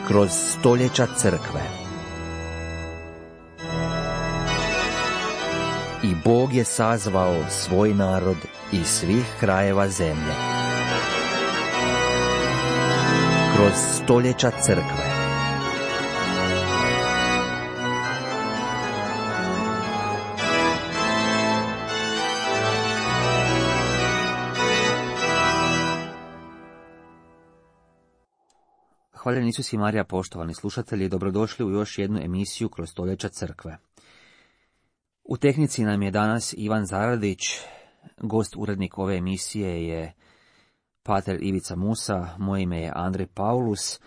kroz stoljeća crkve. I Bog je sazvao svoj narod iz svih krajeva zemlje. Kroz stoljeća crkve. Hvaljen Isus i Marija, poštovani slušatelji, dobrodošli u još jednu emisiju kroz stoljeća crkve. U tehnici nam je danas Ivan Zaradić, gost urednik ove emisije je pater Ivica Musa, moje ime je Andrej Paulus,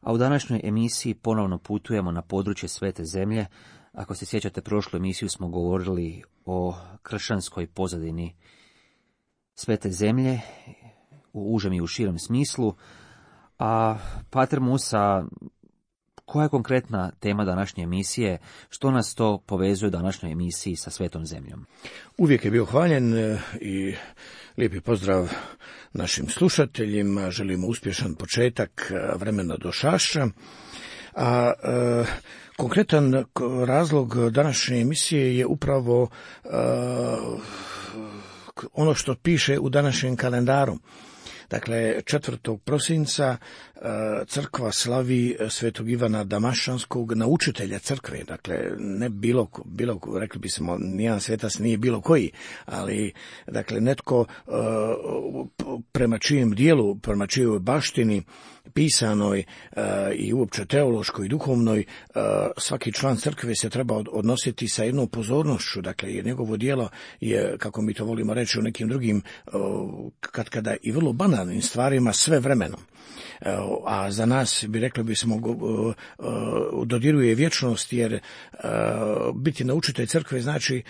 a u današnjoj emisiji ponovno putujemo na područje Svete zemlje. Ako se sjećate, prošlu emisiju smo govorili o kršćanskoj pozadini Svete zemlje, u užem i u širem smislu. A pater Musa, koja je konkretna tema današnje emisije? Što nas to povezuje u današnjoj emisiji sa Svetom zemljom? Uvijek je bio hvaljen i lijepi pozdrav našim slušateljima. Želimo uspješan početak vremena do Šašća. A konkretan razlog današnje emisije je upravo ono što piše u današnjem kalendaru. Dakle, 4. prosinca crkva slavi svetog Ivana Damaščanskog, naučitelja crkve. Dakle, ne bilo, rekli bismo, nijedan svetac nije bilo koji, ali dakle netko prema čijem dijelu, prema čijoj baštini pisanoj i uopće teološkoj i duhovnoj, svaki član crkve se treba odnositi sa jednom pozornošću. Dakle, jer njegovo djelo je, kako mi to volimo reći u nekim drugim, kada i vrlo banalnim stvarima, sve vremenom. A za nas, rekli bismo, dodiruje vječnost, jer biti naučitelj crkve znači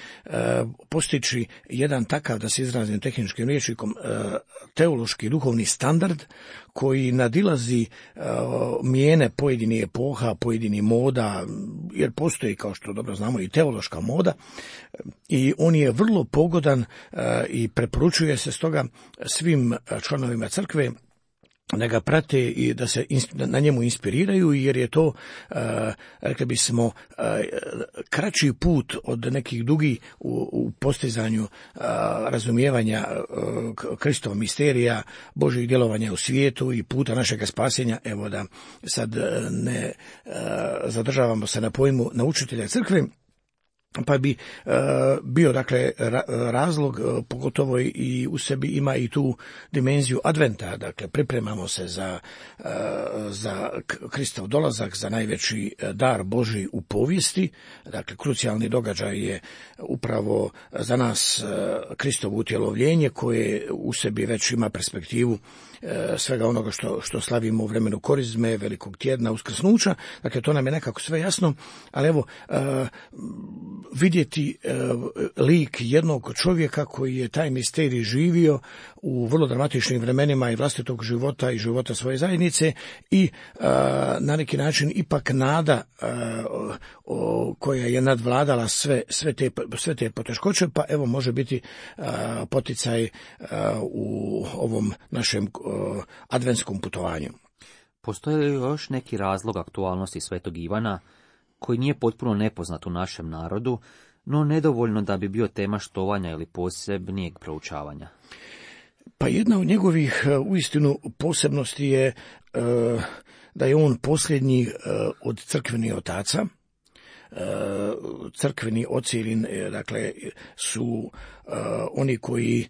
postići jedan takav, da se izrazim tehničkim rječnikom, teološki duhovni standard koji nadilazi mijene pojedinih epoha, pojedinih moda, jer postoji, kao što dobro znamo, i teološka moda, i on je vrlo pogodan i preporučuje se stoga svim članovima crkve da ga prate i da se na njemu inspiriraju, jer je to, rekli bismo, kraći put od nekih dugi u postizanju razumijevanja Kristova misterija, Božjeg djelovanja u svijetu i puta našega spasenja. Evo da sad ne zadržavamo se na pojmu naučitelja crkve, pa bi bio, dakle, razlog, pogotovo i u sebi ima i tu dimenziju adventa. Dakle, pripremamo se za Kristov dolazak, za najveći dar Božji u povijesti. Dakle, krucijalni događaj je upravo za nas Kristovo utjelovljenje, koje u sebi već ima perspektivu svega onoga što slavimo u vremenu korizme, velikog tjedna, uskrsnuća. Dakle, to nam je nekako sve jasno, ali evo, vidjeti lik jednog čovjeka koji je taj misterij živio u vrlo dramatičnim vremenima i vlastitog života i života svoje zajednice, i na neki način ipak nada koja je nadvladala sve te poteškoće, pa evo može biti poticaj u ovom našem adventskom putovanju. Postoji li još neki razlog aktualnosti svetog Ivana koji nije potpuno nepoznat u našem narodu, no nedovoljno da bi bio tema štovanja ili posebnijeg proučavanja? Pa jedna od njegovih uistinu posebnosti je da je on posljednji od crkvenih otaca. Crkveni oci, dakle, su oni koji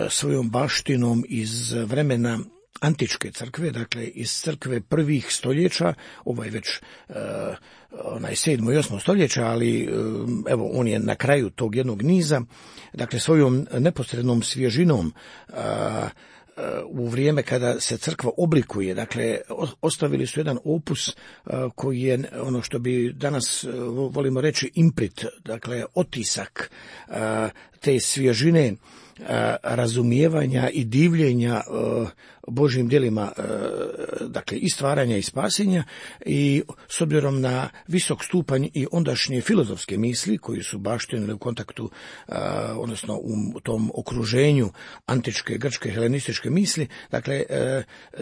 svojom baštinom iz vremena antičke crkve, dakle iz crkve prvih stoljeća, ovo je već 7. i 8. stoljeća, ali evo on je na kraju tog jednog niza, dakle svojom neposrednom svježinom u vrijeme kada se crkva oblikuje, dakle ostavili su jedan opus koji je ono što bi danas volimo reći imprit, dakle otisak te svježine razumijevanja i divljenja Božjim djelima, dakle i stvaranja i spasenja, i s obzirom na visok stupanj i ondašnje filozofske misli koji su baštinili u kontaktu, odnosno u tom okruženju antičke, grčke, helenističke misli, dakle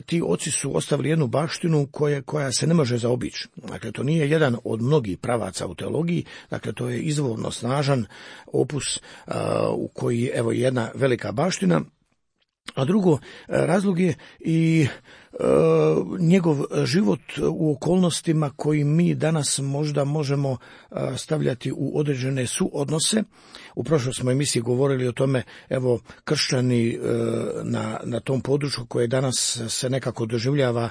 ti oci su ostavili jednu baštinu koja se ne može zaobići. Dakle, to nije jedan od mnogih pravaca u teologiji, dakle to je izvorno snažan opus u koji, evo, jedna velika baština. A drugo, razlog je i njegov život u okolnostima koji mi danas možda možemo stavljati u određene suodnose. U prošloj smo emisiji govorili o tome, evo, kršćani na tom području koje danas se nekako doživljava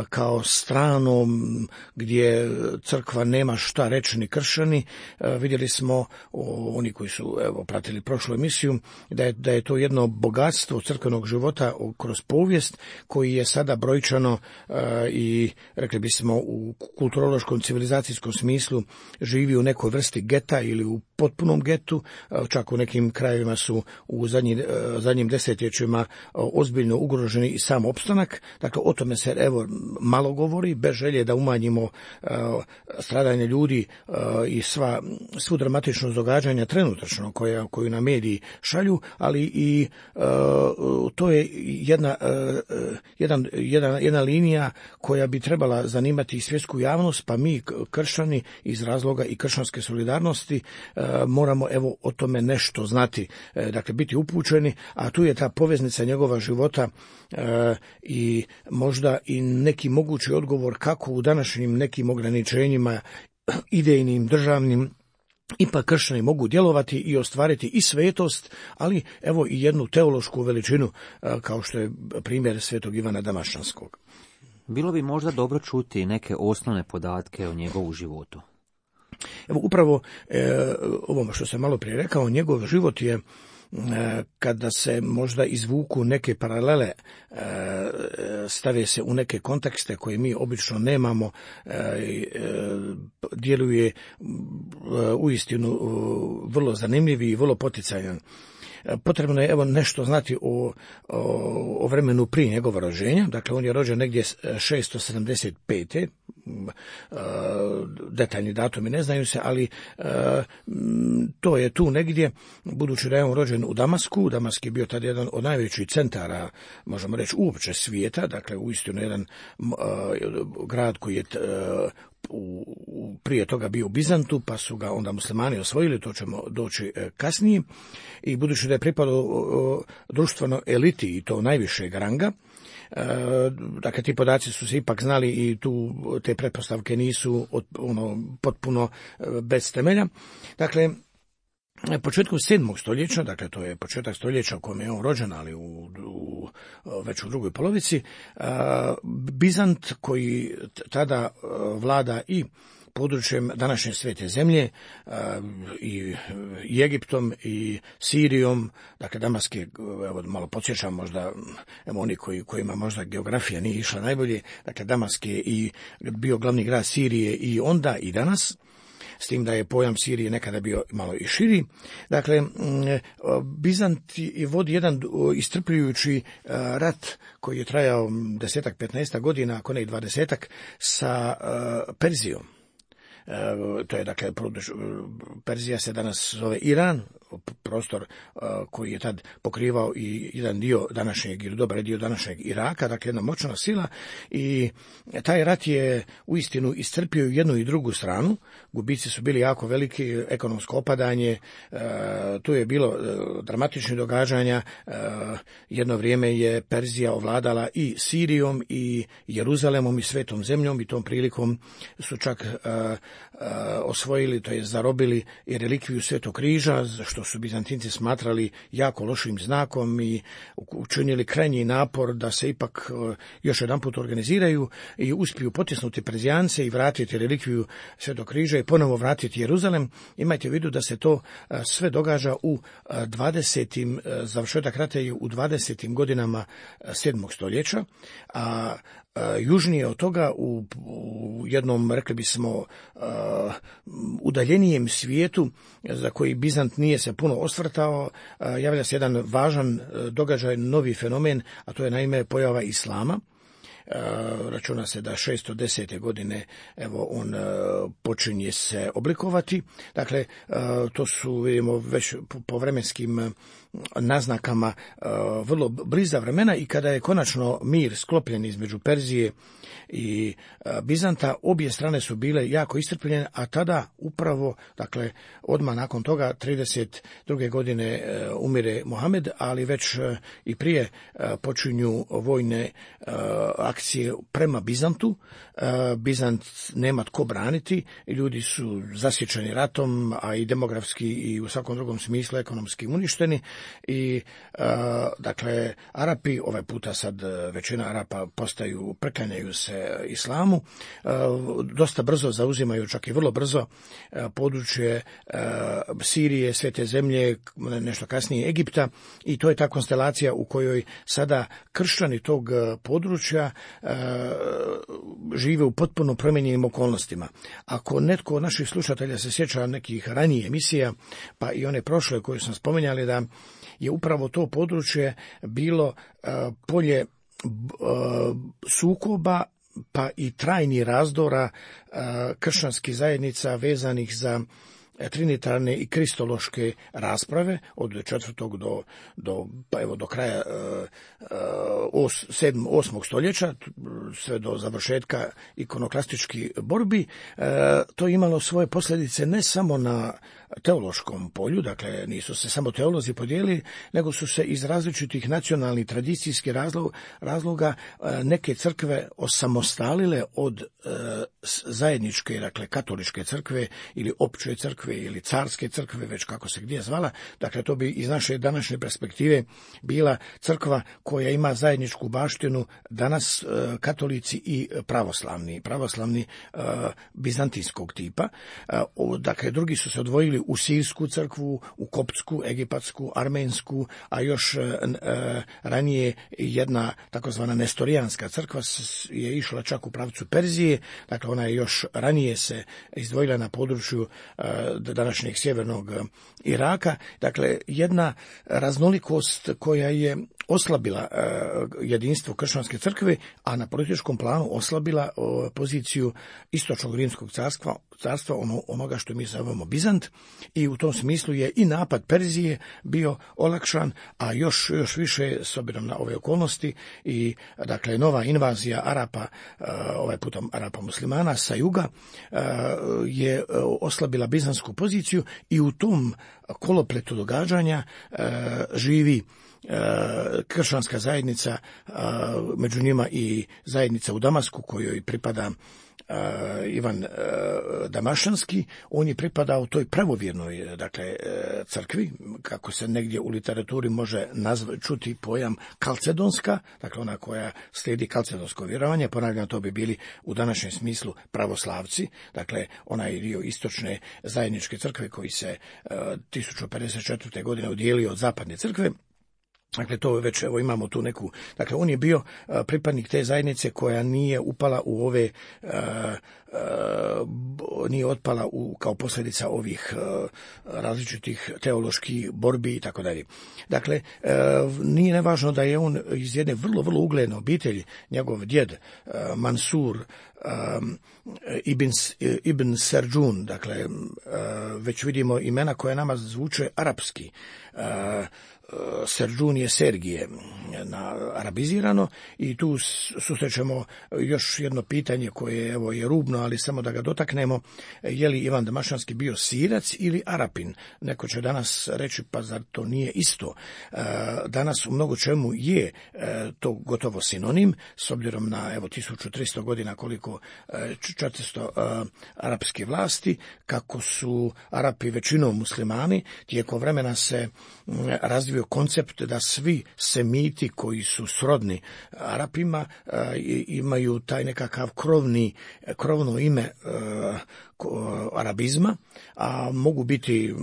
kao strano, gdje crkva nema šta reći ni kršćani. Vidjeli smo, oni koji su, evo, pratili prošlu emisiju, da je to jedno bogatstvo crkvenog života kroz povijest koji je sada brojčano i, rekli bismo, u kulturološkom civilizacijskom smislu živi u nekoj vrsti geta ili u potpunom getu. Čak u nekim krajevima su u zadnjim desetljećima ozbiljno ugroženi i sam opstanak. Dakle, o tome se, evo, malo govori, bez želje da umanjimo stradanje ljudi i svu dramatičnost događanja trenutačno koju nam mediji šalju, ali i to je jedna linija koja bi trebala zanimati i svjetsku javnost, pa mi kršćani iz razloga i kršćanske solidarnosti moramo, evo, o tome nešto znati, dakle biti upućeni, a tu je ta poveznica njegova života i možda i neki mogući odgovor kako u današnjim nekim ograničenjima idejnim, državnim, ipak kršćani mogu djelovati i ostvariti i svetost, ali evo i jednu teološku veličinu, kao što je primjer svetog Ivana Damaščanskog. Bilo bi možda dobro čuti neke osnovne podatke o njegovu životu. Evo, upravo ovo što sam malo prije rekao, njegov život je, kada se možda izvuku neke paralele, stave se u neke kontekste koje mi obično nemamo, djeluje uistinu vrlo zanimljiv i vrlo poticajan. Potrebno je, evo, nešto znati o vremenu prije njegova rođenja. Dakle, on je rođen negdje 675. Detaljni datumi ne znaju se, ali to je tu negdje, budući da je on rođen u Damasku. Damask je bio tad jedan od najvećih centara, možemo reći, uopće svijeta, dakle uistinu jedan grad koji je prije toga bio u Bizantu, pa su ga onda muslimani osvojili, to ćemo doći kasnije, i budući da je pripadao društvenoj eliti i to najvišeg ranga, dakle ti podaci su se ipak znali i te pretpostavke nisu potpuno bez temelja. Dakle, početkom 7. stoljeća, dakle to je početak stoljeća u kojem je on rođen, ali već u drugoj polovici, Bizant, koji tada vlada i područjem današnje svete zemlje, i Egiptom i Sirijom, dakle Damask je, evo, malo podsjećam možda, evo, oni kojima možda geografija nije išla najbolje, dakle Damask je i bio glavni grad Sirije i onda i danas, s tim da je pojam Sirije nekada bio malo i širi. Dakle, Bizant vodi jedan istrpljujući rat koji je trajao 10-15 godina, ako ne i 20, sa Perzijom. To je, dakle, Perzija se danas zove Iran, prostor koji je tad pokrivao i jedan dio današnjeg, ili dobar dio današnjeg Iraka, dakle jedna moćna sila, i taj rat je uistinu iscrpio jednu i drugu stranu. Gubici su bili jako veliki, ekonomsko opadanje, tu je bilo dramatičnih događanja. Jedno vrijeme je Perzija ovladala i Sirijom i Jeruzalemom i Svetom zemljom, i tom prilikom su čak osvojili, to je zarobili i relikviju Svetog križa, što su Bizantinci smatrali jako lošim znakom, i učinili krajnji napor da se ipak još jedanput organiziraju i uspiju potisnuti Perzijance i vratiti relikviju Svetog križa i ponovo vratiti Jeruzalem. Imajte u vidu da se to sve događa u 20. završetak rata je u 20. godinama 7. stoljeća, a južnije od toga, u jednom, rekli bismo, udaljenijem svijetu, za koji Bizant nije se puno osvrtao, javlja se jedan važan događaj, novi fenomen, a to je naime pojava islama. Računa se da 610. godine evo on počinje se oblikovati. Dakle, to su, vidimo, već po vremenskim naznakama vrlo bliza vremena, i kada je konačno mir sklopljen između Perzije i Bizanta, obje strane su bile jako iscrpljene, a tada upravo, dakle, odmah nakon toga 32. godine umire Mohamed, ali već i prije počinju vojne akcije prema Bizantu. Bizant nema tko braniti, ljudi su zasječeni ratom, a i demografski i u svakom drugom smislu ekonomski uništeni, i dakle Arapi, ovaj puta sad većina Arapa priklanjaju se islamu, dosta brzo zauzimaju, čak i vrlo brzo, područje Sirije, Svete zemlje, nešto kasnije Egipta, i to je ta konstelacija u kojoj sada kršćani tog područja žive u potpuno promijenjenim okolnostima. Ako netko od naših slušatelja se sjeća nekih ranijih emisija, pa i one prošle koje sam spominjali, da je upravo to područje bilo polje sukoba, pa i trajnih razdora kršćanskih zajednica vezanih za trinitarne i kristološke rasprave od 4. do kraja 8. stoljeća, sve do završetka ikonoklastičkih borbi. To je imalo svoje posljedice ne samo na teološkom polju, dakle nisu se samo teolozi podijelili, nego su se iz različitih nacionalnih tradicijskih razloga neke crkve osamostalile od zajedničke, dakle katoličke crkve ili opće crkve ili carske crkve, već kako se gdje zvala. Dakle, to bi iz naše današnje perspektive bila crkva koja ima zajedničku baštinu danas katolici i pravoslavni bizantijskog tipa. Dakle, drugi su se odvojili u sirsku crkvu, u koptsku, egipatsku, armensku, a još ranije jedna takozvana nestorijanska crkva je išla čak u pravcu Perzije. Dakle, ona je još ranije se izdvojila na području današnjeg sjevernog Iraka. Dakle, jedna raznolikost koja je oslabila jedinstvo kršćanske crkve, a na političkom planu oslabila poziciju istočnog rimskog carstva, onoga što mi zovemo Bizant, i u tom smislu je i napad Perzije bio olakšan, a još više s obzirom na ove okolnosti, i dakle nova invazija Arapa, ovaj puta Arapa muslimana sa juga, je oslabila bizansku poziciju, i u tom kolopletu događanja živi kršćanska zajednica, među njima i zajednica u Damasku kojoj pripada Ivan Damašanski. On je pripadao toj pravovjernoj, dakle, crkvi, kako se negdje u literaturi može čuti pojam kalcedonska, dakle ona koja slijedi kalcedonsko vjerovanje. Ponavljam, to bi bili u današnjem smislu pravoslavci, dakle onaj dio istočne zajedničke crkve koji se 1054. godine odijelio od zapadne crkve. Dakle, to već, evo, imamo tu neku, dakle, on je bio pripadnik te zajednice koja nije upala u ove, nije otpala kao posljedica ovih različitih teoloških borbi i tako dalje. Dakle, nije nevažno da je on iz jedne vrlo, vrlo ugledne obitelji, njegov djed Mansur Ibn Serđun, dakle, već vidimo imena koja nama zvuče arapski. Serđun je Sergije arabizirano, i tu susrećemo još jedno pitanje koje, evo, je rubno, ali samo da ga dotaknemo. Je li Ivan Damašanski bio Sirac ili Arapin? Neko će danas reći, pa zar to nije isto? Danas u mnogo čemu je to gotovo sinonim, s obzirom na, evo, 1300 godina koliko 400 arapske vlasti, kako su Arapi većinom muslimani, tijekom vremena se razvio postavio koncept da svi semiti koji su srodni Arapima imaju taj nekakav krovno ime arabizma, a mogu biti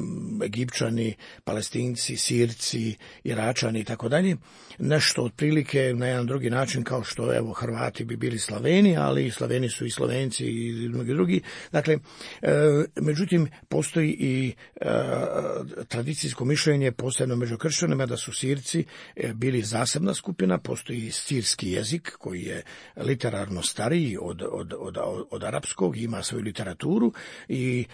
Egipćani, Palestinci, Sirci, Iračani i tako dalje. Nešto otprilike na jedan drugi način kao što evo Hrvati bi bili Slaveni, ali Slaveni su i Slovenci i mnogi drugi. Dakle, međutim, postoji i tradicijsko mišljenje, posebno među kršćanima, da su Sirci bili zasebna skupina. Postoji sirski jezik koji je literarno stariji od arapskog, ima svoju literaturu i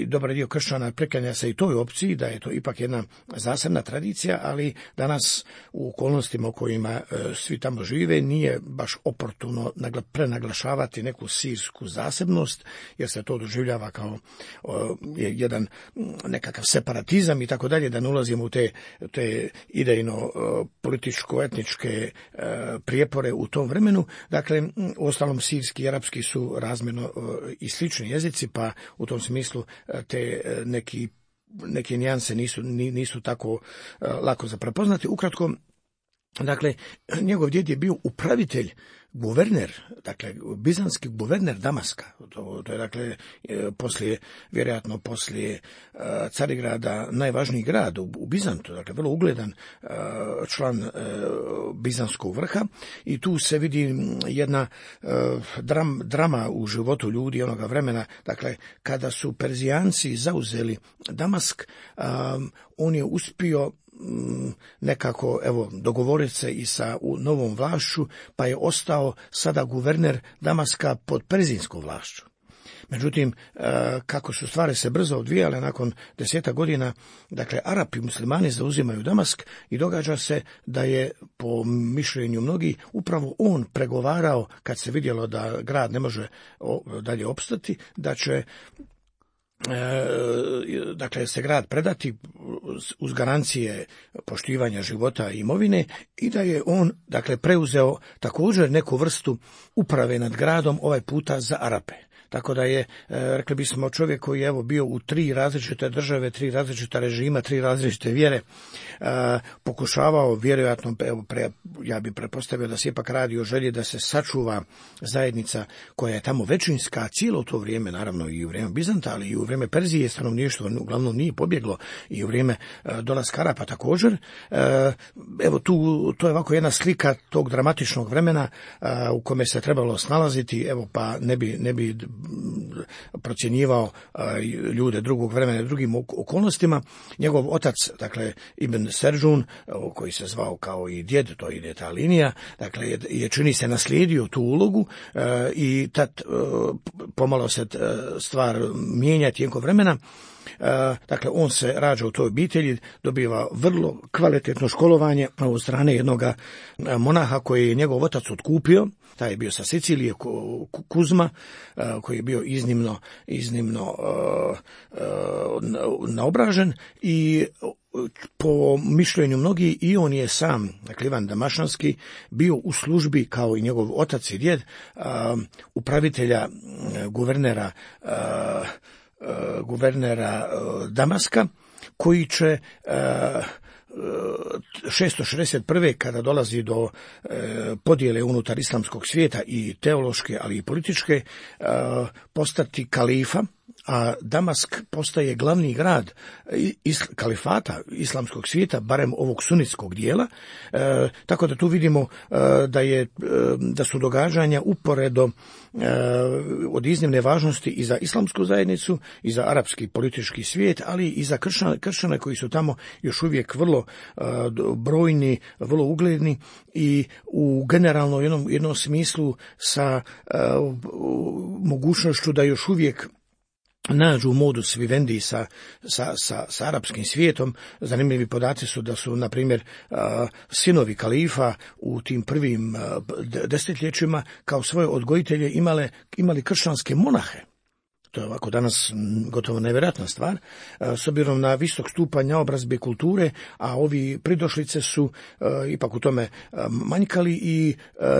dobar dio kršćana preklanja se i toj opciji da je to ipak jedna zasebna tradicija, ali danas u okolnostima u kojima svi tamo žive nije baš oportuno prenaglašavati neku sirsku zasebnost, jer se to doživljava kao jedan nekakav separatizam i tako dalje, da ne ulazimo u te idejno političko-etničke prijepore u tom vremenu. Dakle, uostalom sirski i arapski su razmjerno i slični jezici, pa u tom smislu te neke nijanse nisu tako lako za prepoznati. Ukratko, dakle, njegov djed je bio upravitelj, guverner, dakle, bizanski guverner Damaska. To je, dakle, vjerojatno poslije Carigrada najvažniji grad u Bizantu, dakle, vrlo ugledan član bizanskog vrha, i tu se vidi jedna drama u životu ljudi onoga vremena. Dakle, kada su Perzijanci zauzeli Damask, on je uspio nekako dogovoriti se i sa novom vlašću, pa je ostao sada guverner Damaska pod perzijskom vlašću. Međutim, kako su stvari se brzo odvijale, nakon 10 godina, dakle, Arapi muslimani zauzimaju Damask i događa se da je, po mišljenju mnogih, upravo on pregovarao, kad se vidjelo da grad ne može dalje opstati, da će dakle se grad predati uz garancije poštivanja života i imovine, i da je on, dakle, preuzeo također neku vrstu uprave nad gradom, ovaj puta za Arape. Tako da je, rekli bismo, čovjek koji je bio u 3 različite države, 3 različita režima, 3 različite vjere, pokušavao, vjerojatno, ja bih pretpostavio da se ipak radi o želji da se sačuva zajednica koja je tamo većinska cijelo to vrijeme, naravno i u vrijeme Bizanta, ali i u vrijeme Perzije stanovništvo uglavnom nije pobjeglo, i u vrijeme dolaska Arapa također. To je ovako jedna slika tog dramatičnog vremena u kome se trebalo snalaziti, pa ne bi procjenjivao ljude drugog vremena, drugim okolnostima. Njegov otac, dakle, Ibn Serđun, koji se zvao kao i djed, to ide ta linija, dakle, je čini se naslijedio tu ulogu, i tad pomalo se stvar mijenja tijekom vremena. Dakle, on se rađa u toj obitelji, dobiva vrlo kvalitetno školovanje od strane jednog monaha koji je njegov otac otkupio. Taj je bio sa Sicilije, Kuzma, koji je bio iznimno naobražen, i po mišljenju mnogi i on je sam, dakle, Ivan Damašanski, bio u službi kao i njegov otac i djed, upravitelja guvernera Damaska, koji će 661. kada dolazi do podjele unutar islamskog svijeta, i teološke, ali i političke, postati kalifa, a Damask postaje glavni grad kalifata islamskog svijeta, barem ovog sunitskog dijela, tako da tu vidimo da su događanja uporedo od iznimne važnosti i za islamsku zajednicu, i za arapski politički svijet, ali i za kršćane koji su tamo još uvijek vrlo brojni, vrlo ugledni, i u generalno jednom smislu sa mogućnošću da još uvijek nađu modus vivendi sa arapskim svijetom. Zanimljivi podaci su da su, na primjer, sinovi kalifa u tim prvim desetljećima kao svoje odgojitelje imali kršćanske monahe. To je ovako danas gotovo nevjerojatna stvar, s obzirom na visok stupanj naobrazbe kulture, a ovi pridošlice su ipak u tome manjkali, i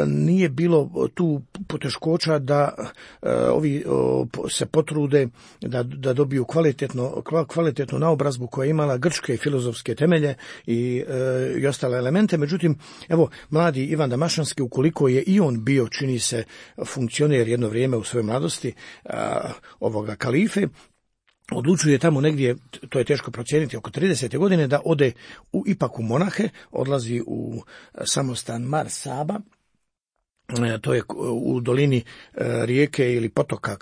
nije bilo tu poteškoća da ovi se potrude da dobiju kvalitetnu naobrazbu koja je imala grčke filozofske temelje i ostale elemente. Međutim, evo, mladi Ivan Damašanski, ukoliko je i on bio, čini se, funkcioner jedno vrijeme u svojoj mladosti ovoga kalife, odlučuje tamo negdje, to je teško procijeniti, oko 30. godine da ode ipak u monahe, odlazi u samostan Mar Saba. To je u dolini rijeke ili potoka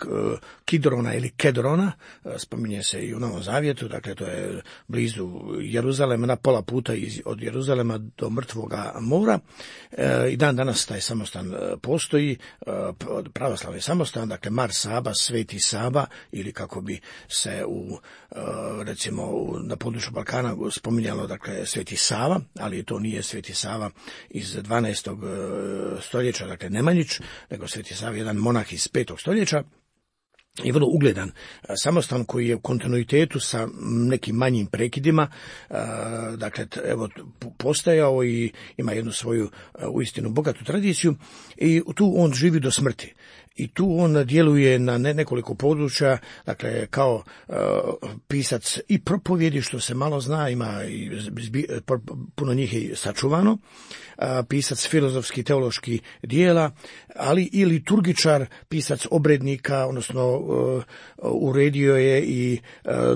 Kidrona ili Kedrona, spominje se i u Novom Zavjetu, dakle to je blizu Jeruzalema, na pola puta od Jeruzalema do Mrtvoga mora. I dan danas taj samostan postoji, pravoslavni samostan, dakle Mar Saba, Sveti Saba, ili kako bi se recimo na području Balkana spominjalo, dakle Sveti Sava, ali to nije Sveti Sava iz 12. stoljeća, dakle Nemanjić, nego Sveti Sava, jedan monah iz 5. stoljeća, i vrlo ugledan samostan koji je u kontinuitetu sa nekim manjim prekidima, dakle evo postajao i ima jednu svoju uistinu bogatu tradiciju, i tu on živi do smrti. I tu on djeluje na nekoliko područja, dakle kao pisac i propovjedi, što se malo zna, ima i puno njih je sačuvano, pisac filozofski, teološki dijela, ali i liturgičar, pisac obrednika, odnosno uredio je i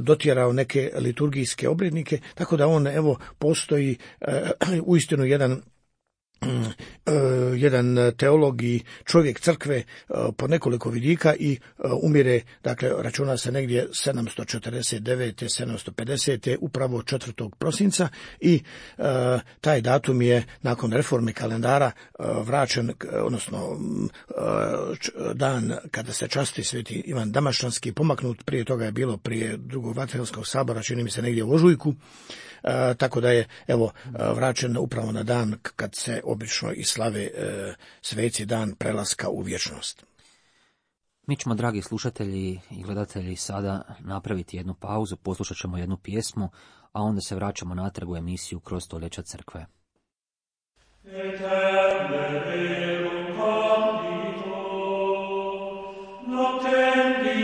dotjerao neke liturgijske obrednike, tako da on evo postoji uistinu jedan teolog i čovjek crkve po nekoliko vidika, i umire, dakle računa se negdje 749. 750. upravo 4. prosinca, i taj datum je nakon reforme kalendara vraćen, odnosno dan kada se časti Sveti Ivan Damašanski pomaknut. Prije toga je bilo prije Drugog Vatikanskog sabora, čini mi se negdje u ožujku, tako da je evo vraćen upravo na dan kad se obično i slave sveci, dan prelaska u vječnost. Mi ćemo, dragi slušatelji i gledatelji, sada napraviti jednu pauzu, poslušat ćemo jednu pjesmu, a onda se vraćamo natrag u emisiju Kroz stoljeća crkve. O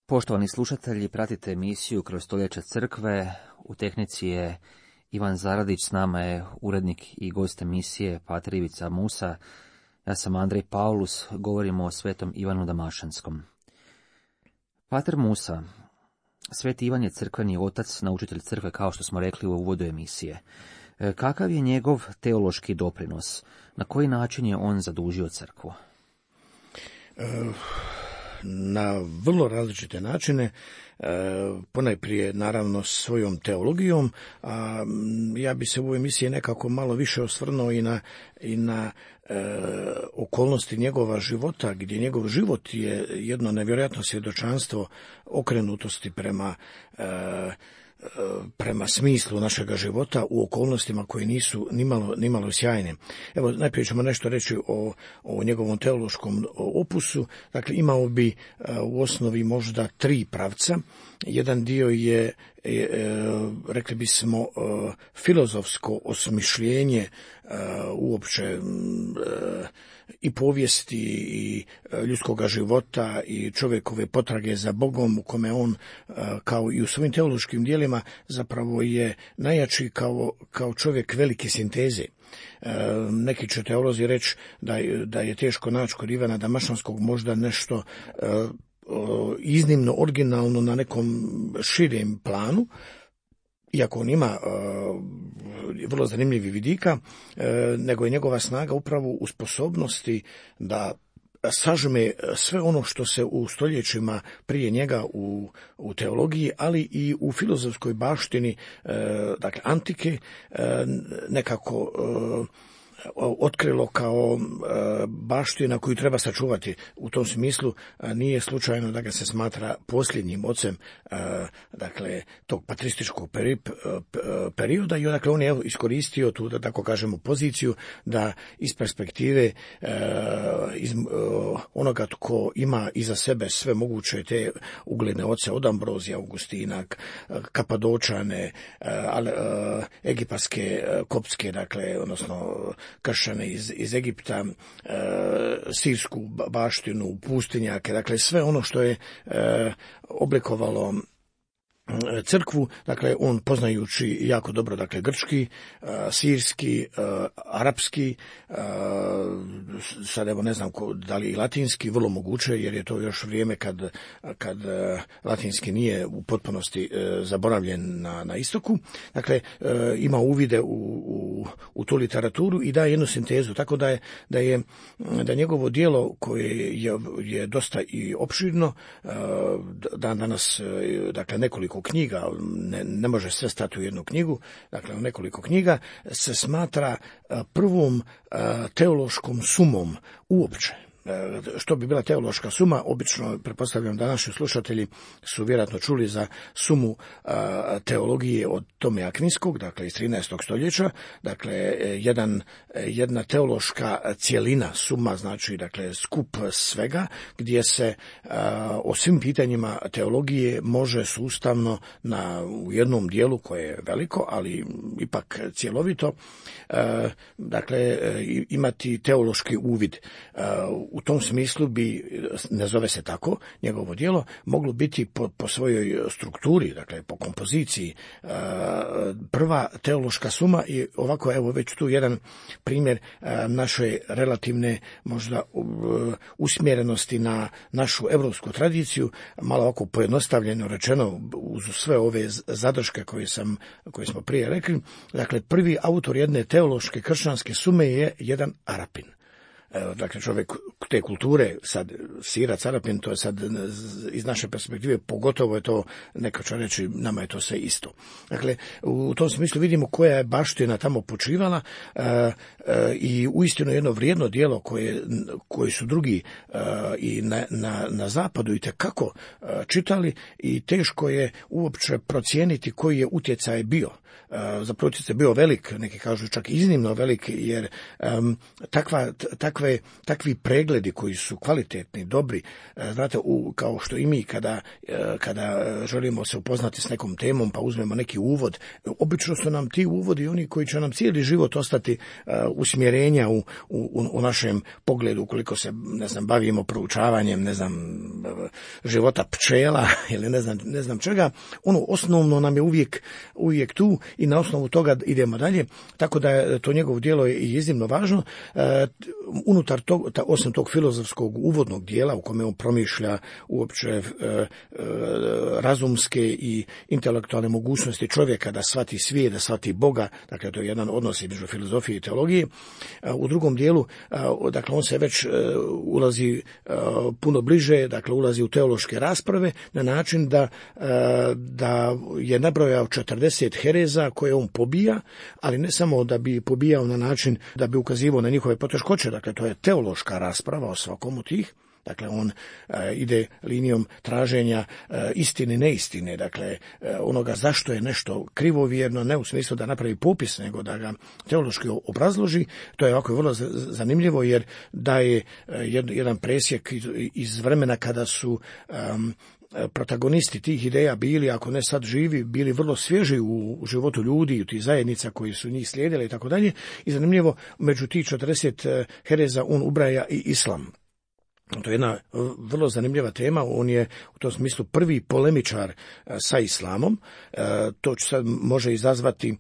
Poštovani slušatelji, pratite emisiju Kroz stoljeća crkve. U tehnici je Ivan Zaradić, s nama je urednik i gost emisije pater Ivica Musa. Ja sam Andrej Paulus, govorimo o svetom Ivanu Damašanskom. Pater Musa, sveti Ivan je crkveni otac, naučitelj crkve, kao što smo rekli u uvodu emisije. Kakav je njegov teološki doprinos? Na koji način je on zadužio crkvu? Na vrlo različite načine, ponajprije naravno svojom teologijom, a ja bi se u ovoj emisiji nekako malo više osvrnuo i na okolnosti njegova života, gdje njegov život je jedno nevjerojatno svjedočanstvo okrenutosti prema smislu našega života u okolnostima koje nisu nimalo sjajne. Evo, najprije ćemo nešto reći o njegovom teološkom opusu. Dakle, imao bi u osnovi možda 3 pravca. Jedan dio je, rekli bismo, filozofsko osmišljenje uopće i povijesti i ljudskoga života i čovjekove potrage za Bogom, u kome on, kao i u svojim teološkim dijelima, zapravo je najjači kao čovjek velike sinteze. Neki će teolozi reći da je teško naći kod Ivana Damašanskog možda nešto iznimno originalno na nekom širem planu, iako on ima vrlo zanimljivih vidika, nego je njegova snaga upravo u sposobnosti da sažme sve ono što se u stoljećima prije njega u teologiji, ali i u filozofskoj baštini, dakle antike, nekako otkrilo kao baština koju treba sačuvati. U tom smislu nije slučajno da ga se smatra posljednjim ocem, dakle, tog patrističkog perioda, i dakle on je iskoristio tu, da tako kažemo, poziciju da iz perspektive onoga tko ima iza sebe sve moguće te ugledne oce od Ambrozija, Augustina, Kapadočane, egipatske, koptske, dakle, odnosno kršćane iz Egipta, sirsku baštinu, pustinjake, dakle sve ono što je oblikovalo crkvu, dakle on poznajući jako dobro, dakle, grčki, sirski, arapski, sad evo ne znam da li i latinski, vrlo moguće, jer je to još vrijeme kad latinski nije u potpunosti zaboravljen na istoku. Dakle, ima uvide u tu literaturu i daje jednu sintezu, tako da njegovo djelo, koje je dosta i opširno, danas, dakle, nekoliko knjiga, ne može sve stati u jednu knjigu, dakle u nekoliko knjiga, se smatra prvom teološkom sumom uopće. Što bi bila teološka suma? Obično, pretpostavljam da naši slušatelji su vjerojatno čuli za sumu teologije od Tome Akvinskog, dakle iz 13. stoljeća, dakle jedna teološka cjelina, suma znači, dakle, skup svega, gdje se o svim pitanjima teologije može sustavno u jednom dijelu koje je veliko, ali ipak cjelovito, dakle imati teološki uvid. U tom smislu bi, ne zove se tako, njegovo djelo moglo biti po svojoj strukturi, dakle po kompoziciji, prva teološka suma. I ovako, evo već tu jedan primjer naše relativne možda usmjerenosti na našu europsku tradiciju, malo ovako pojednostavljeno rečeno, uz sve ove zadrške koje smo prije rekli. Dakle, prvi autor jedne teološke kršćanske sume je jedan Arapin. Dakle, čovjek te kulture, sad sira, carapin, to je sad iz naše perspektive, pogotovo je to, neko će reći, nama je to sve isto. Dakle, u tom smislu vidimo koja je baština tamo počivala i uistinu jedno vrijedno djelo koje su drugi i na zapadu itekako čitali i teško je uopće procijeniti koji je utjecaj bio. Zapravo utjecaj bio velik, neki kažu čak iznimno velik, jer takvi pregledi koji su kvalitetni, dobri, znate, kao što i mi kada želimo se upoznati s nekom temom pa uzmemo neki uvod, obično su nam ti uvodi oni koji će nam cijeli život ostati usmjerenja u našem pogledu, ukoliko se, ne znam, bavimo proučavanjem, ne znam, života pčela ili ne znam čega, ono osnovno nam je uvijek tu i na osnovu toga idemo dalje, tako da je to njegovo djelo je iznimno važno. Unutar osim tog filozofskog uvodnog dijela u kome on promišlja uopće razumske i intelektualne mogućnosti čovjeka da shvati svijet, da shvati Boga, dakle to je jedan odnos između filozofije i teologije. U drugom dijelu, dakle on se već ulazi puno bliže, dakle ulazi u teološke rasprave na način da je nabrojao 40 hereza koje on pobija, ali ne samo da bi pobijao na način da bi ukazivao na njihove poteškoće, dakle to je teološka rasprava o svakom od tih. Dakle, on ide linijom traženja istine, neistine, dakle onoga zašto je nešto krivovjerno, ne u smislu da napravi popis, nego da ga teološki obrazloži. To je ovako vrlo zanimljivo jer daje jedan presjek iz vremena kada su protagonisti tih ideja bili, ako ne sad živi, bili vrlo svježi u životu ljudi, u tih zajednica koji su njih slijedili i tako dalje. I zanimljivo, među tih 40 hereza on ubraja i islam. To je jedna vrlo zanimljiva tema, on je u tom smislu prvi polemičar sa islamom, to sad može izazvati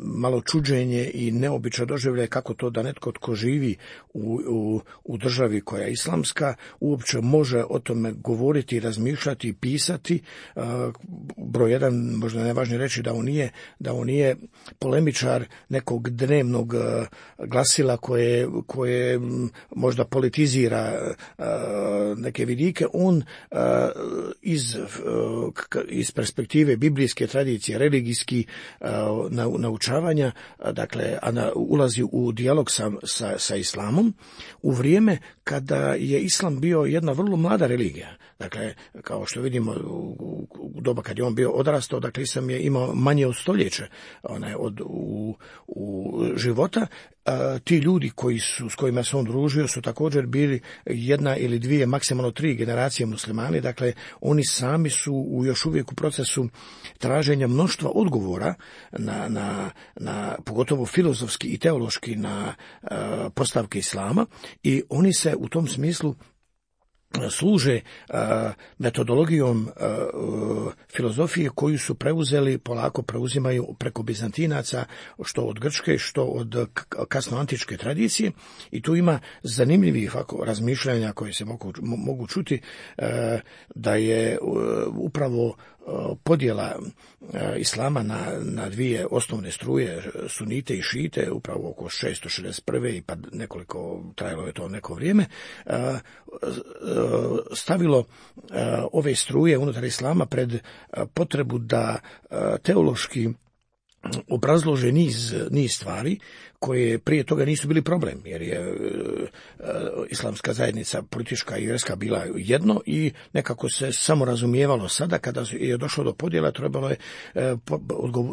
malo čuđenje i neobično doživljaje kako to da netko tko živi u državi koja je islamska uopće može o tome govoriti, razmišljati i pisati. Broj jedan, možda najvažnije reći da on nije polemičar nekog dnevnog glasila koje možda politizira neke vidike, on iz perspektive biblijske tradicije, religijski naučavanja, dakle ulazi u dijalog sa islamom u vrijeme kada je islam bio jedna vrlo mlada religija. Dakle, kao što vidimo u doba kad je on bio odrastao, dakle islam je imao manje od stoljeća u života. Ti ljudi s kojima se on družio su također bili jedna ili dvije, maksimalno 3 generacije muslimani, dakle oni sami su još uvijek u procesu traženja mnoštva odgovora na pogotovo filozofski i teološki na postavke islama i oni se u tom smislu služe metodologijom filozofije koju su polako preuzimaju preko Bizantinaca, što od grčke, što od kasnoantičke tradicije i tu ima zanimljivih razmišljanja koje se mogu čuti da je upravo podjela islama na dvije osnovne struje, sunite i šite, upravo oko 661. i pa nekoliko, trajalo je to neko vrijeme, stavilo ove struje unutar islama pred potrebu da teološki obrazlože niz stvari koje prije toga nisu bili problem, jer je islamska zajednica politička i vjerska bila jedno i nekako se samo razumijevalo. Sada kada je došlo do podjela trebalo je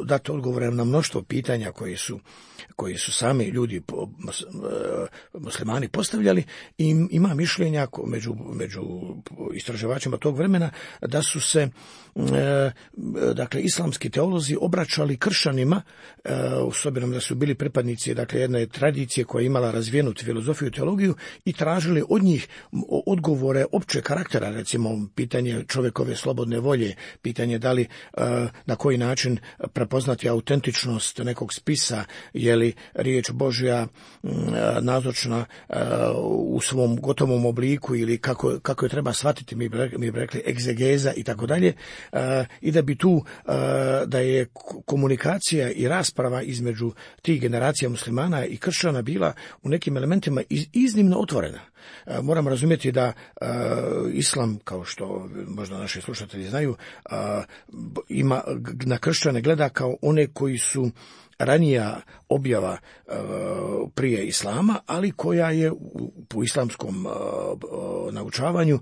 dati odgovore na mnoštvo pitanja koji su sami ljudi muslimani postavljali i ima mišljenja među istraživačima tog vremena da su se dakle islamski teolozi obraćali kršćanima s obzirom da su bili pripadnici dakle jedne tradicije koja je imala razvijenu filozofiju i teologiju i tražili od njih odgovore općeg karaktera, recimo pitanje čovjekove slobodne volje, pitanje da li na koji način prepoznati autentičnost nekog spisa, je li riječ Božja nazočna u svom gotovom obliku ili kako je treba shvatiti, mi bi rekli egzegeza i tako dalje, i da bi tu da je komunikacija i rasprava između tih generacija muslimana muslimana i kršćana bila u nekim elementima iznimno otvorena. Moramo razumjeti da islam, kao što možda naši slušatelji znaju, ima na kršćane gleda kao one koji su ranija objava prije islama, ali koja je po islamskom naučavanju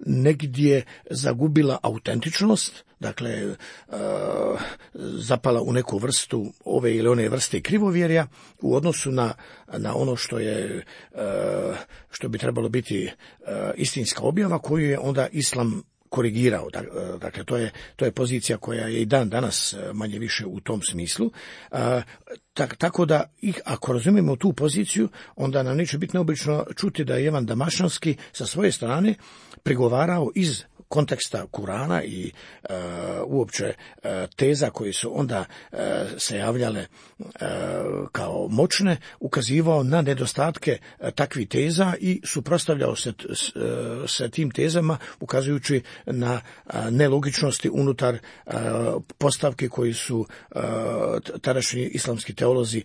negdje zagubila autentičnost, dakle zapala u neku vrstu ove ili one vrste krivovjerja u odnosu na ono što bi trebalo biti istinska objava koju je onda islam korigirao. Dakle, to je pozicija koja je i dan danas manje više u tom smislu. Tako da, ako razumijemo tu poziciju, onda nam neće biti neobično čuti da je Ivan Damašanski sa svoje strane prigovarao iz konteksta Kurana i uopće teza koje su onda se javljale kao moćne, ukazivao na nedostatke takvih teza i suprotstavljao se tim tezama, ukazujući na nelogičnosti unutar postavke koji su tadašnji islamski teolozi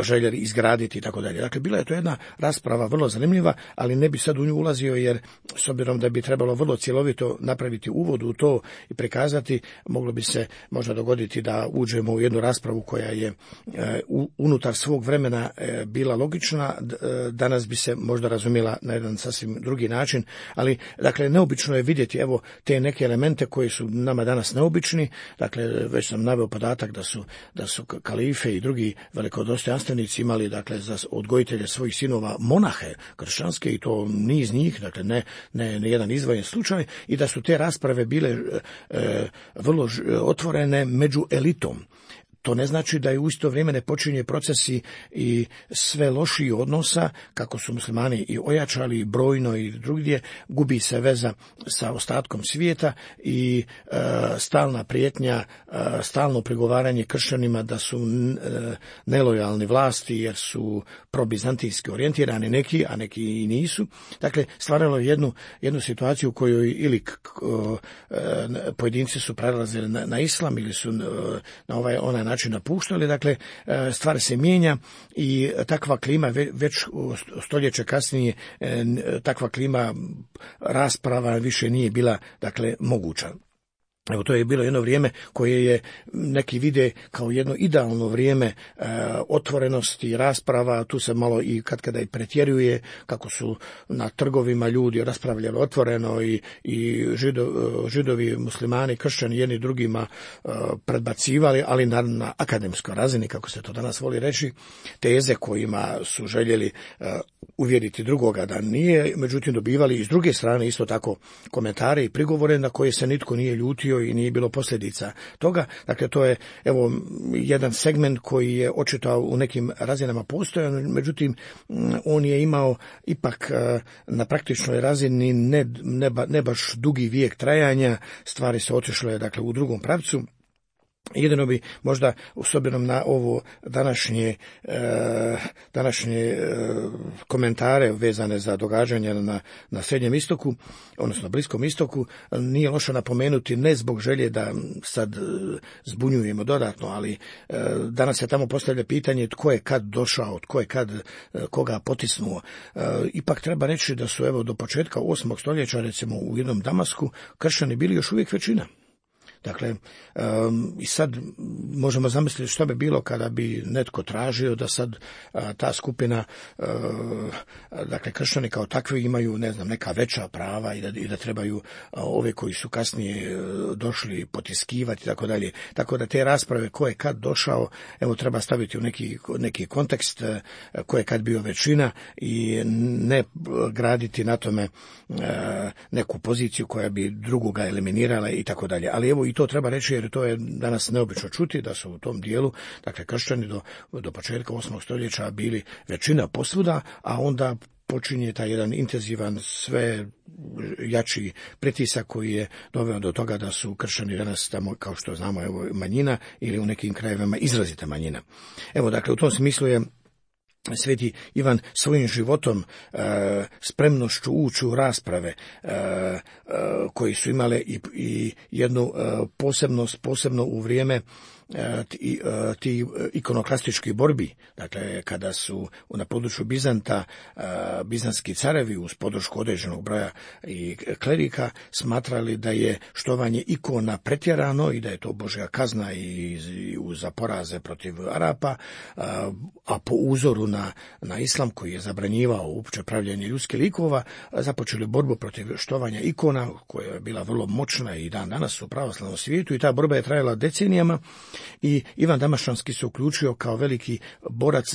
željeli izgraditi i tako dalje. Dakle, bila je to jedna rasprava vrlo zanimljiva, ali ne bi sad u nju ulazio, jer s obzirom da bi trebalo vrlo cjelovito napraviti uvod u to i prikazati, moglo bi se možda dogoditi da uđemo u jednu raspravu koja je unutar svog vremena bila logična, danas bi se možda razumjela na jedan sasvim drugi način, ali dakle neobično je vidjeti evo te neke elemente koji su nama danas neobični. Dakle, već sam naveo podatak da su kalife i drugi velikodostojanstvenici imali dakle za odgojitelje svojih sinova monahe kršćanske, i to niz njih, dakle ne jedan izdvojen slučaj, i da su te rasprave bile vrlo otvorene među elitom. To ne znači da je u isto vrijeme ne počinje procesi i sve lošiji odnosa, kako su muslimani i ojačali brojno i drugdje, gubi se veza sa ostatkom svijeta i stalna prijetnja, stalno prigovaranje kršćanima da su nelojalni vlasti jer su probizantijski orijentirani neki, a neki i nisu. Dakle, stvaralo je jednu situaciju u kojoj ili pojedinci su prelazili na islam ili su na onaj način napuštali. Dakle, stvar se mijenja i takva klima već stoljeće kasnije, takva klima rasprava više nije bila dakle moguća. Evo, to je bilo jedno vrijeme koje je neki vide kao jedno idealno vrijeme otvorenosti, rasprava. Tu se malo i kada i pretjeruje, kako su na trgovima ljudi raspravljali otvoreno i židovi, muslimani, kršćani jedni drugima predbacivali, ali na akademskoj razini, kako se to danas voli reći, teze kojima su željeli uvjeriti drugoga da nije, međutim dobivali iz druge strane isto tako komentare i prigovore na koje se nitko nije ljutio i nije bilo posljedica toga. Dakle, to je evo jedan segment koji je očito u nekim razinama postojan, međutim on je imao ipak na praktičnoj razini ne baš dugi vijek trajanja, stvari se otišle dakle u drugom pravcu. Jedino bi možda s obzirom na ovo današnje komentare vezane za događanja na Srednjem istoku, odnosno Bliskom istoku, nije loše napomenuti, ne zbog želje da sad zbunjujemo dodatno, ali danas se tamo postavlja pitanje tko je kad došao, tko je kad koga potisnuo. Ipak treba reći da su evo do početka 8. stoljeća recimo u jednom Damasku kršćani bili još uvijek većina. Dakle, i sad možemo zamisliti što bi bilo kada bi netko tražio da sad ta skupina, dakle kršćani kao takvi imaju, ne znam, neka veća prava i da trebaju ove koji su kasnije došli potiskivati i tako dalje. Tako da te rasprave ko je kad došao, evo treba staviti u neki kontekst, ko je kad bio većina i ne graditi na tome neku poziciju koja bi drugoga eliminirala i tako dalje. Ali evo i to treba reći, jer to je danas neobično čuti da su u tom dijelu, dakle kršćani do početka 8. stoljeća bili većina posvuda, a onda počinje taj jedan intenzivan, sve jači pritisak koji je doveo do toga da su kršćani danas tamo, kao što znamo, evo manjina ili u nekim krajevima izrazita manjina. Evo, dakle, u tom smislu je Sveti Ivan svojim životom, spremnošću ući u rasprave koji su imale i jednu posebnost, posebno u vrijeme ti ikonoklastičkih borbi, dakle kada su na području Bizanta bizantski carevi uz podršku određenog broja i klerika smatrali da je štovanje ikona pretjerano i da je to Božja kazna i za poraze protiv Arapa, a po uzoru na islam koji je zabranjivao uopće pravljenje ljudskih likova, započeli borbu protiv štovanja ikona koja je bila vrlo moćna i dan danas u pravoslavnom svijetu, i ta borba je trajala decenijama. I Ivan Damaštanski se uključio kao veliki borac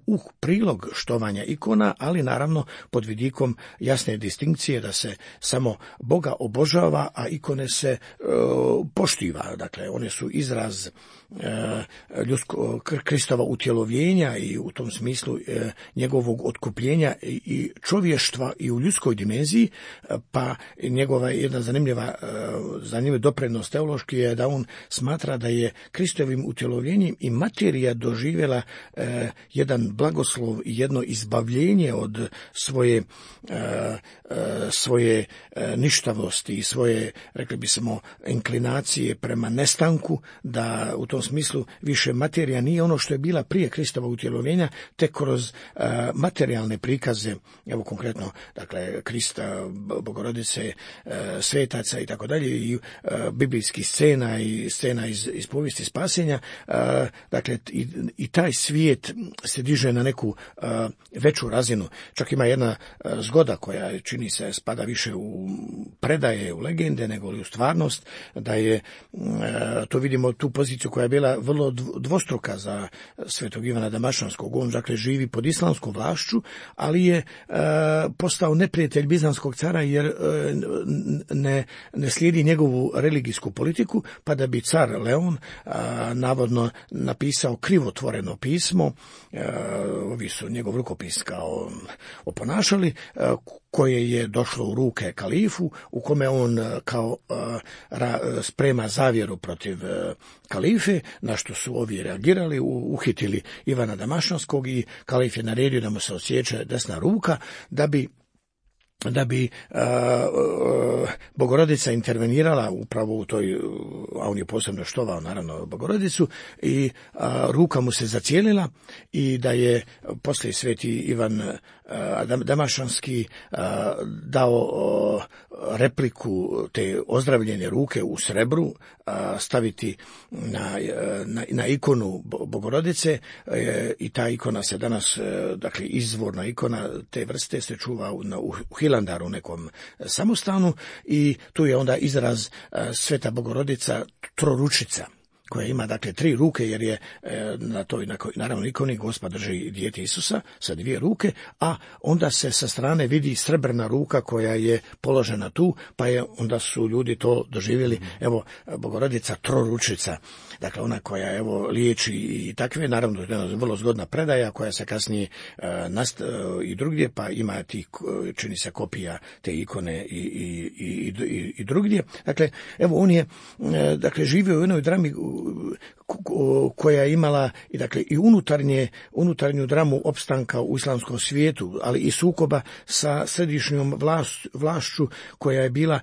u prilog štovanja ikona, ali naravno pod vidikom jasne distinkcije da se samo Boga obožava, a ikone se poštiva. Dakle, one su izraz Kristova utjelovljenja i u tom smislu njegovog otkupljenja i čovještva i u ljudskoj dimenziji, pa njegova jedna zanimljiva doprinos teološki je da on smatra da je Kristovim utjelovljenjem i materija doživjela jedan blagoslov i jedno izbavljenje od svoje ništavosti i svoje, rekli bismo, inklinacije prema nestanku, da u tom smislu više materija nije ono što je bila prije Kristova utjelovljenja, tek kroz materijalne prikaze, evo konkretno, dakle, Krista, Bogorodice, svetaca i tako dalje, i biblijskih scena i scena iz povijesti spasenja, dakle, i taj svijet se diže na neku veću razinu. Čak ima jedna zgoda koja čini se spada više u predaje, u legende, nego li u stvarnost, da je, to vidimo tu poziciju koja je bila vrlo dvostruka za svetog Ivana Damaštanskog. On, dakle, živi pod islamskom vlašću, ali je postao neprijatelj bizantskog cara jer ne slijedi njegovu religijsku politiku, pa da bi car Leon navodno napisao krivotvoreno pismo, ovi su njegov rukopis kao oponašali, koje je došlo u ruke kalifu, u kome on kao sprema zavjeru protiv kalife, na što su ovi reagirali, uhitili Ivana Damaštanskog i kalif je naredio da mu se odsječe desna ruka, da bi Bogorodica intervenirala upravo u toj, a on je posebno štovao naravno Bogorodicu, i ruka mu se zacijelila, i da je poslije sveti Ivan Damaštanski dao repliku te ozdravljene ruke u srebru staviti na ikonu Bogorodice, i ta ikona se danas, dakle, izvorna ikona te vrste se čuva u Hilandaru, u nekom samostanu, i tu je onda izraz Sveta Bogorodica troručica, koja ima, dakle, 3 ruke, jer je na toj naravno ikoni Gospa drži dijete Isusa sa 2 ruke, a onda se sa strane vidi srebrna ruka koja je položena tu, pa onda su ljudi to doživjeli, evo, Bogorodica troručica, dakle ona koja, evo, liječi i takve, naravno jedna vrlo zgodna predaja koja se kasnije i drugdje, pa ima čini se kopija te ikone i drugdje. Dakle, evo, on je, dakle, živio u jednoj drami koja je imala i unutarnju dramu opstanka u islamskom svijetu, ali i sukoba sa središnjom vlašću koja je bila,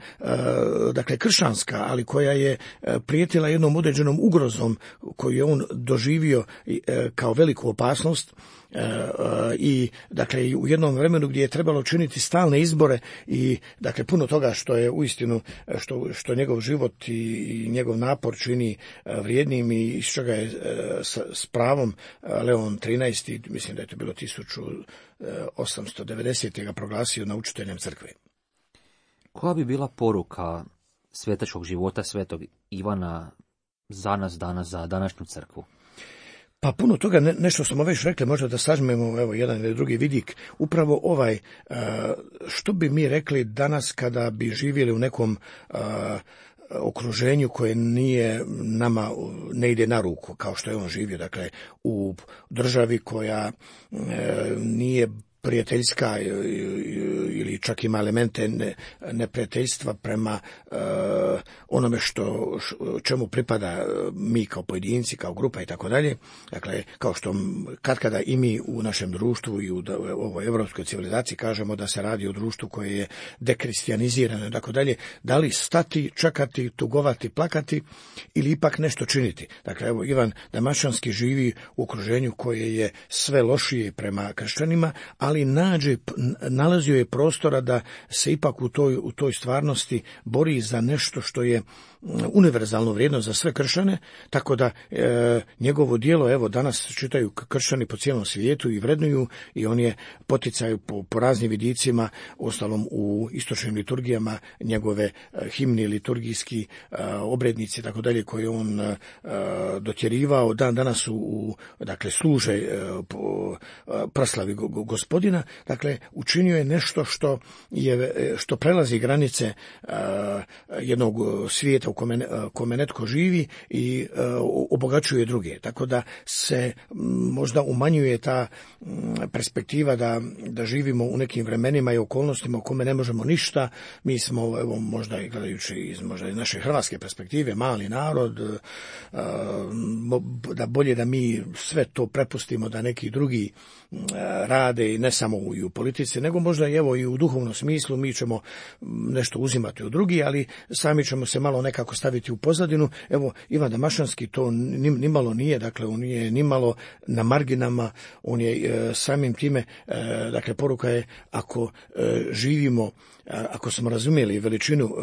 dakle, kršćanska, ali koja je prijetila jednom određenom ugrozom koju je on doživio kao veliku opasnost. I, dakle, u jednom vremenu gdje je trebalo činiti stalne izbore i, dakle, puno toga što je uistinu što njegov život i njegov napor čini vrijednim, i iz čega je s pravom Leon XIII, mislim da je to bilo 1890. ga proglasio naučiteljem crkve. Koja bi bila poruka svetačkog života svetog Ivana za nas danas, za današnju crkvu? Pa puno toga, nešto smo već rekli, možda da sažmemo, evo, jedan ili drugi vidik. Upravo ovaj, što bi mi rekli danas kada bi živjeli u nekom okruženju koje ne ide na ruku, kao što je on živio, dakle, u državi koja nije prijateljska ili čak ima elemente neprijateljstva prema onome čemu pripada mi kao pojedinci, kao grupa i tako dalje. Dakle, kao što katkada i mi u našem društvu i u ovoj evropskoj civilizaciji kažemo da se radi o društvu koje je dekristijanizirano i tako dalje, da li stati, čekati, tugovati, plakati ili ipak nešto činiti. Dakle, evo, Ivan Damašanski živi u okruženju koje je sve lošije prema kršćanima, ali nalazio je prostora da se ipak u toj stvarnosti bori za nešto što je univerzalno vrijedno za sve kršćane, tako da njegovo djelo, evo, danas čitaju kršćani po cijelom svijetu i vrednuju, i on je poticaj po raznim vidicima, ostalom u istočnim liturgijama, njegove himni, liturgijski obrednici, tako dalje, koje on dotjerivao, danas dakle, služe po proslavi Gospodina. Dakle, učinio je nešto što prelazi granice jednog svijeta u kome netko živi i obogaćuje druge. Tako da se možda umanjuje ta perspektiva da živimo u nekim vremenima i okolnostima u kome ne možemo ništa. Mi smo, evo, možda i gledajući iz naše hrvatske perspektive, mali narod, da bolje da mi sve to prepustimo da neki drugi rade, i ne samo i u politici, nego možda i u duhovnom smislu. Mi ćemo nešto uzimati od drugih, ali sami ćemo se malo nekako staviti u pozadinu. Evo, Ivan Damašanski to nimalo nije, dakle, on nije nimalo na marginama, on je samim time, dakle, poruka je, ako živimo, ako smo razumjeli veličinu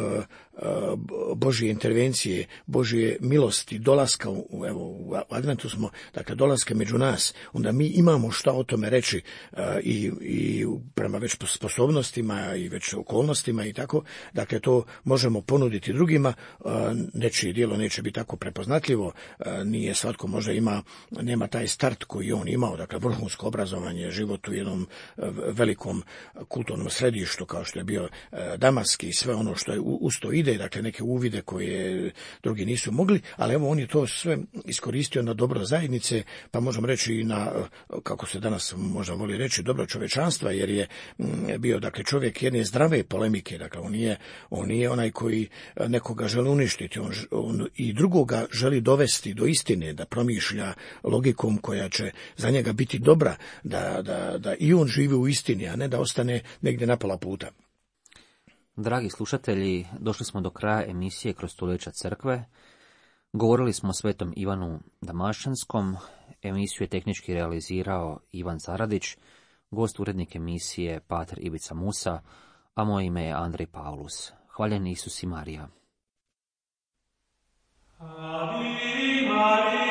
Božje intervencije, Božje milosti, dolaska, u adventu smo, dakle, dolaska među nas, onda mi imamo šta o tome reći, i prema već sposobnostima i već okolnostima i tako. Dakle, to možemo ponuditi drugima. Nečije djelo neće biti tako prepoznatljivo, nije svatko možda nema taj start koji on imao, dakle, vrhunsko obrazovanje, život u jednom velikom kulturnom središtu kao što je bio Damask i sve ono što je uz to ide, dakle, neke uvide koje drugi nisu mogli, ali evo, on je to sve iskoristio na dobro zajednice, pa možemo reći i na, kako se danas možda voli reći, dobro čovječanstva, jer je bio, dakle, čovjek jedne zdrave polemike. Dakle, on nije onaj koji nekoga želi uništiti, on i drugoga želi dovesti do istine, da promišlja logikom koja će za njega biti dobra, da i on živi u istini, a ne da ostane negdje na pola puta. Dragi slušatelji, došli smo do kraja emisije Kroz stoljeća crkve. Govorili smo o svetom Ivanu Damašanskom. Emisiju je tehnički realizirao Ivan Zaradić, gost urednik emisije pater Ivica Musa, a moje ime je Andrej Paulus. Hvaljen Isus i Marija. Ave Maria.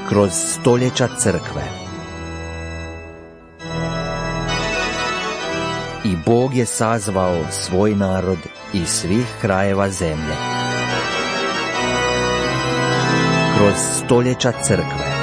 Kroz stoljeća crkve. I Bog je sazvao svoj narod iz svih krajeva zemlje. Kroz stoljeća crkve.